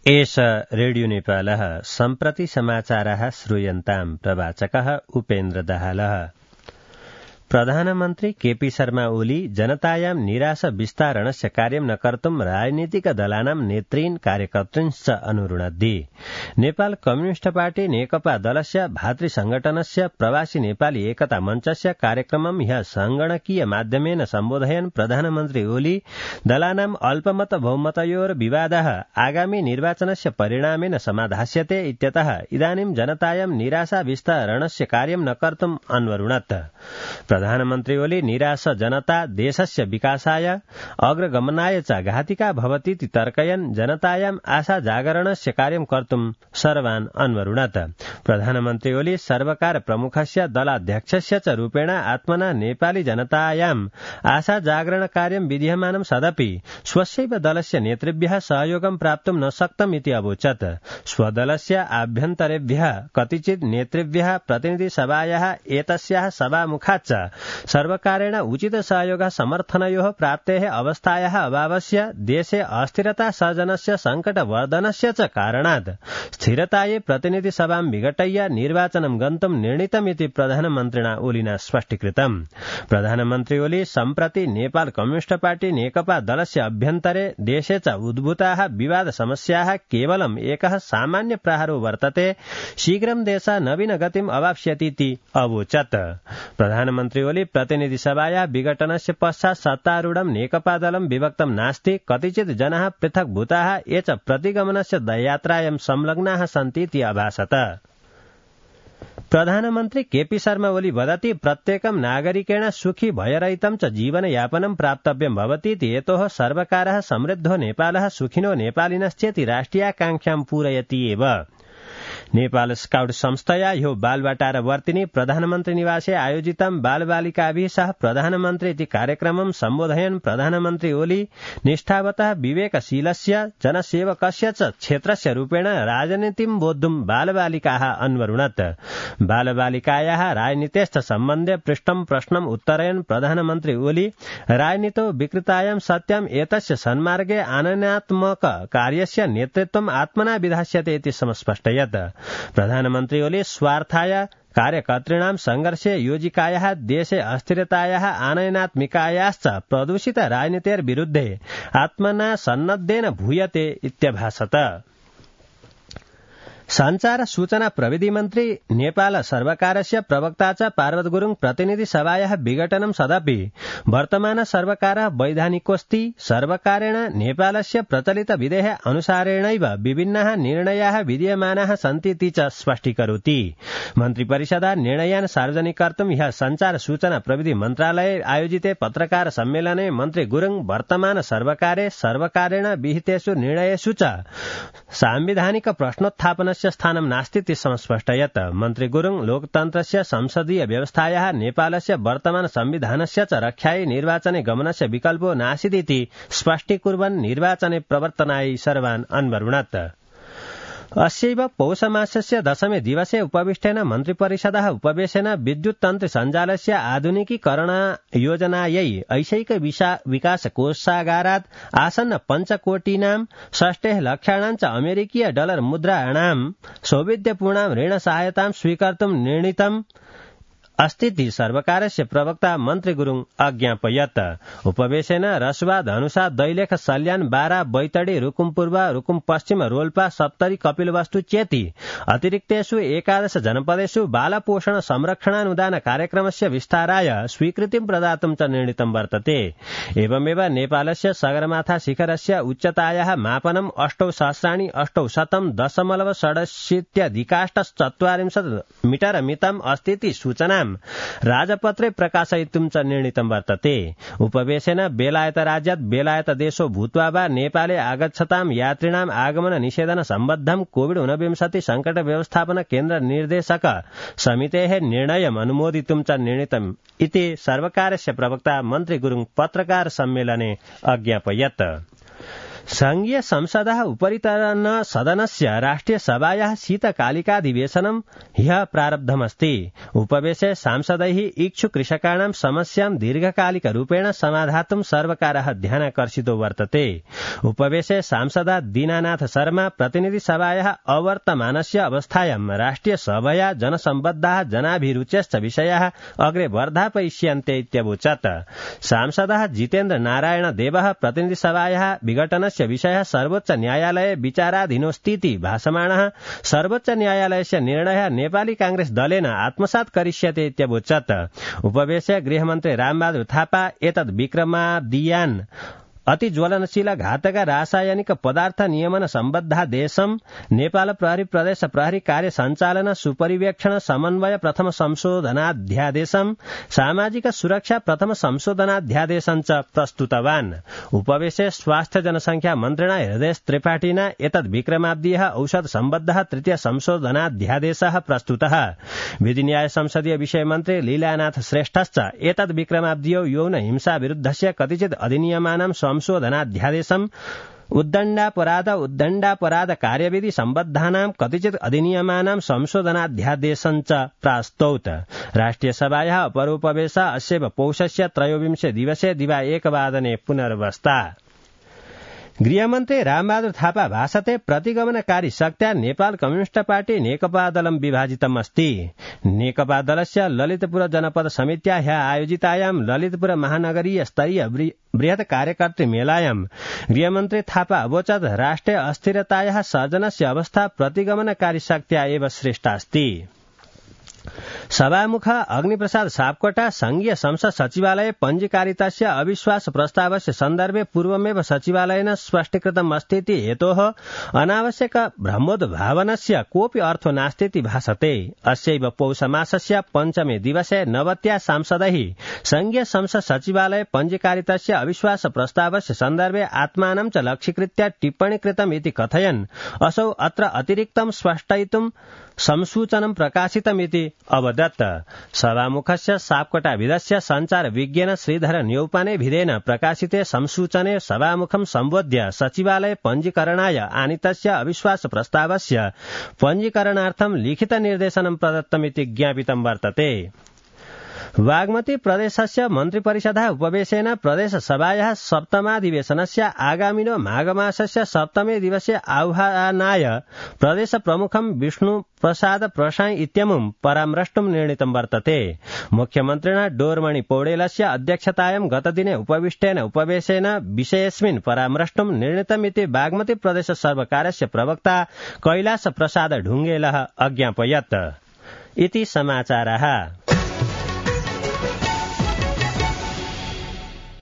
एष रेडियो नेपालः सम्प्रति समाचारः श्रूयन्ताम् प्रवाचकः उपेन्द्र दाहालः। प्रधानमन्त्री केपी शर्मा ओली जनतायां निराश विस्तारणस्य कार्यं न कर्तुं राजनीतिकदलानां नेतॄन् कार्यकर्तॄंश्च अनुरुणद्धि। नेपाल कम्युनिस्ट पार्टी नेकपा दलस्य भातृसंगठनस्य प्रवासी नेपाली एकता मञ्चस्य कार्यक्रमं ह्यः संगणकीय माध्यमेन सम्बोधयन् प्रधानमन्त्री ओली दलानां अल्पमत बहुमतयोर्विवादः आगामी निर्वाचनस्य परिणामेन समाधास्यते इत्यतः इदानीं जनतायां निराशा विस्तारणस्य कार्यं न कर्तुम् अन्वरुणत्। प्रधानमन्त्री ओली निराश जनता देशस्य विकासाय अग्रगमनाय च घातिका भवतीति तर्कयन् जनतायाम् आशा जागरणस्य कार्यं कर्तुं सर्वान् अन्वरुणत्। प्रधानमन्त्री ओली सर्वकार प्रमुखस्य दलाध्यक्षस्य च रूपेण आत्मना नेपाली जनतायाम् आशा जागरण कार्यं विधीयमानं सदपि स्वस्यैव दलस्य नेतृभ्यः सहयोगं प्राप्तुं न शक्तम् इति अवोचत्। स्वदलस्य आभ्यन्तरेभ्यः कतिचित् नेतृभ्यः प्रतिनिधिसभायाः एतस्याः सभामुखाच्च सर्वकारेण उचित सहयोग समर्थनयोः प्राप्तेः अवस्थायाः अभावस्य देशे अस्थिरता सर्जनस्य संकटवर्धनस्य च कारणात् स्थिरतायै प्रतिनिधिसभां विघटय्य निर्वाचनं गन्तुं निर्णीतमिति प्रधानमन्त्रिणा ओलिना स्पष्टीकृतम्। प्रधानमन्त्री ओली सम्प्रति नेपाल कम्युनिस्ट पार्टी नेकपा दलस्य अभ्यन्तरे देशे च उद्भूताः विवाद समस्याः केवलम् एकः सामान्य प्राहारो वर्तते, शीघ्रं देशः नवीन गतिम् अवाप्स्यतीति अवोचत्। प्रधानमन्त्री ओली प्रतिनिधि सभाया विघटनस्य पश्चात् सत्तारूढं नेकपा दलं विभक्तं नास्ति, कतिचित् जनाः पृथक् भूताः ये च प्रतिगमनस्य यात्रायां संलग्नाः सन्तीति अभासत। प्रधानमन्त्री केपी शर्मा ओली वदति प्रत्येकं नागरिकेण सुखी भयरहितं च जीवनयापनं प्राप्तव्यं भवतीति हेतोः सर्वकारः समृद्धो नेपालः सुखिनो नेपालिनश्चेति राष्ट्रियाकांक्षां पूरयति एव। नेपाल स्काउट संस्थया ह्यो बालवाटारवर्तिनी प्रधानमन्त्री निवासे आयोजितं बालबालिकाभिः सह प्रधानमन्त्री इति कार्यक्रमं सम्बोधयन् प्रधानमन्त्री ओली निष्ठावतः विवेकशीलस्य जनसेवकस्य च क्षेत्रस्य रूपेण राजनीतिं बोद्धुं बालबालिकाः अन्वरुणत्। बालबालिकायाः राजनीतेश्च सम्बन्धे पृष्टं प्रश्नम् उत्तरयन् प्रधानमन्त्री ओली राजनीतौ विकृतायां सत्यम् एतस्य सन्मार्गे आनयनात्मक कार्यस्य नेतृत्वम् आत्मना विधास्यते इति समस्पष्टयत्। प्रधानमन्त्री ओली स्वार्थाय कार्यकर्तॄणां संघर्षे योजिकायाः देशे अस्थिरतायाः आनयनात्मिकायाश्च प्रदूषित राजनीतेर्विरुद्धे आत्मना सन्नद्धेन भूयते इत्यभासत। संचार सूचना प्रविधि मन्त्री नेपाल सर्वकारस्य प्रवक्ता च पार्वत गुरुङ प्रतिनिधि सभायाः विघटनं सदपि वर्तमान सर्वकारः वैधानिकोऽस्ति, सर्वकारेण नेपालस्य प्रचलित विधेः अनुसारेणैव विभिन्नाः निर्णयाः विधीयमानाः सन्तीति च स्पष्टीकरोति। मन्त्रिपरिषदा निर्णयान् सार्वजनिक कर्तुं ह्यः संचार सूचना प्रविधि मन्त्रालये आयोजिते पत्रकार सम्मेलने मन्त्री गुरुङ वर्तमान सर्वकारे सर्वकारेण विहितेषु निर्णयेषु च सांविधानिक प्रश्नोत्थापन स्थानं नास्तीति समस्पष्टयत्। मन्त्री गुरुङ लोकतन्त्रस्य संसदीय व्यवस्थायाः नेपालस्य वर्तमान संविधानस्य च रक्षायै निर्वाचने गमनस्य विकल्पो नासीदिति स्पष्टीकुर्वन् निर्वाचने प्रवर्तनायै सर्वान् अन्वरुणत्। अस्यैव पौषमासस्य दशमे दिवसे उपविष्टेन मन्त्रिपरिषदः उपवेशेन विद्युत् तन्त्र सञ्जालस्य आधुनिकीकरण योजनायै ऐशैक विकास कोषागारात् आसन्न 5 कोटीनां 60 लक्षाणां च अमेरिकीय डलर मुद्राणां सौविध्यपूर्णां ऋण सहायतां स्वीकर्तुं निर्णीतम् अस्तीति सर्वकारस्य प्रवक्ता मन्त्री गुरुङ अज्ञापयत्। उपवेशेन रसुवा धनुषा दैलेख सल्यान बारा बैतडी रुकुम पूर्व रुकुम पश्चिम रोल्पा सप्तरी कपिलवस्तु चेति अतिरिक्तेषु 11 जनपदेषु बालपोषण संरक्षणानुदान कार्यक्रमस्य विस्ताराय स्वीकृतिं प्रदातुं च निर्णीतं वर्तते। एवमेव नेपालस्य सगरमाथा शिखरस्य उच्चतायाः मापनं 8,800.6 मीटर मितम् अस्तीति सूचना राजपत्रे प्रकाशयितुं च निर्णीतं वर्तते। उपवेशेन बेलायत राज्यात् बेलायत देशो भूत्वा वा नेपाले आगच्छतां यात्रिणाम् आगमन निषेधन सम्बद्धं कोविड-19 संकट व्यवस्थापन केन्द्र निर्देशक समितेः निर्णयम् अनुमोदितुं च निर्णीतम् इति सर्वकारस्य प्रवक्ता मन्त्री गुरुङ पत्रकार सम्मेलने अज्ञापयत्। संघीय संसदः उपरितन सदनस्य राष्ट्रिय सभायाः शीतकालिकाधिवेशनं ह्यः प्रारब्धमस्ति। उपवेशे सांसदैः इच्छु कृषकाणां समस्यां दीर्घकालिकरूपेण समाधातुं सर्वकारः ध्यानाकर्षितो वर्तते। उपवेशे सांसदा दीनानाथ शर्मा प्रतिनिधिसभायाः अवर्तमानस्य अवस्थायां राष्ट्रिय सभया जनसम्बद्धाः जनाभिरुच्यश्च विषयाः अग्रे वर्धापयिष्यन्ते इत्यवोचत्। सांसदः जितेन्द्र नारायण देवः प्रतिनिधिसभायाः विघटनस्य विषयः सर्वोच्च न्यायालये विचाराधीनोऽस्तीति भासमाणः सर्वोच्च न्यायालयस्य निर्णयः नेपाली कांग्रेस दलेन आत्मसात् करिष्यते इत्यवोचत्। उपवेशे गृहमन्त्री रामबहादुर थापा एतद् विक्रमादियान् अति ज्वलनशील घातक रासायनिक पदार्थ नियमन सम्बद्धादेशं नेपाल प्रहरी प्रदेश प्रहरी कार्य संचालन सुपरिवेक्षण समन्वय प्रथम संशोधनाध्यादेशं सामाजिक सुरक्षा प्रथम संशोधनाध्यादेशं च प्रस्तुतवान्। उपवेशे स्वास्थ्य जनसंख्या मन्त्रिणा हृदय त्रिपाठिना एतद् विक्रमाब्दीयः औषध सम्बद्धः तृतीय संशोधनाध्यादेशः प्रस्तुतः। विधिन्याय संसदीय विषय मन्त्री लीलानाथ श्रेष्ठश्च एतद् विक्रमाब्दीयो यौन हिंसा विरुद्धस्य कतिचित् अधिनियमानां संशोधनाध्यादेशम् उद्दण्डापराध कार्यविधि सम्बद्धानां कतिचित् अधिनियमानां संशोधनाध्यादेशं च प्रास्तौत्। राष्ट्रियसभायाः अपरोपवेशः अस्यैव पौषस्य 23 दिवसे दिवा 1 वादने पुनर्वस्ता। गृहमन्त्री रामबहादुर थापा भाषते प्रतिगमनकारी शक्त्या नेपाल कम्युनिष्ट पार्टी नेकपा दलं विभाजितम् अस्ति। नेकपा दलस्य ललितपुर जनपद समित्या ह्यः आयोजितायां ललितपुर महानगरीय स्तरीय बृहत् कार्यकर्तृ मेलायां गृहमन्त्री थापा अवोचत् राष्ट्रे अस्थिरतायाः सर्जनस्य अवस्था प्रतिगमनकारी शक्त्या एव श्रेष्ठा अस्ति। सभामुख अग्निप्रसाद सापकोटा संघीय संसद सचिवालये पञ्जीकारितस्य अविश्वास प्रस्तावस्य सन्दर्भे पूर्वमेव सचिवालयेन स्पष्टीकृतम् अस्तीति हेतोः अनावश्यक भ्रमोद्भावनस्य कोऽपि अर्थो नास्तीति भासते। अस्यैव पौषमासस्य 5मे दिवसे नवत्या सांसदैः संघीय संसद सचिवालये पञ्जीकारितस्य अविश्वास प्रस्तावस्य सन्दर्भे आत्मानं च लक्ष्यीकृत्य टिप्पणी कृतम् इति कथयन् असौ अत्र अतिरिक्तं स्पष्टयितुं संसूचनं प्रकाशितमिति अवदत्। सभामुखस्य सापकोटाभिधस्य संचार विज्ञेन श्रीधर न्यौपाने भिदेन प्रकाशिते संसूचने सभामुखं सम्बोध्य सचिवालय पञ्जीकरणाय आनीतस्य अविश्वास प्रस्तावस्य पञ्जीकरणार्थं लिखित निर्देशनं प्रदत्तमिति ज्ञापितं वर्तते। बागमती प्रदेशस्य मन्त्रिपरिषदः उपवेशेन प्रदेशसभायाः सप्तमाधिवेशनस्य आगामिनो माघमासस्य 7मे दिवसे आह्वानाय प्रदेश प्रमुखं विष्णु प्रसाद प्रसाई इत्यमुं परामृष्टुं निर्णीतं वर्तते। मुख्यमन्त्रिणा डोरमणि पौडेलस्य अध्यक्षतायां गतदिने उपविष्टेन उपवेशेन विषयेऽस्मिन् परामृष्टुं निर्णीतमिति बागमती प्रदेश सर्वकारस्य प्रवक्ता कैलाश प्रसाद ढुङ्गेलः अज्ञापयत्। इति समाचारः।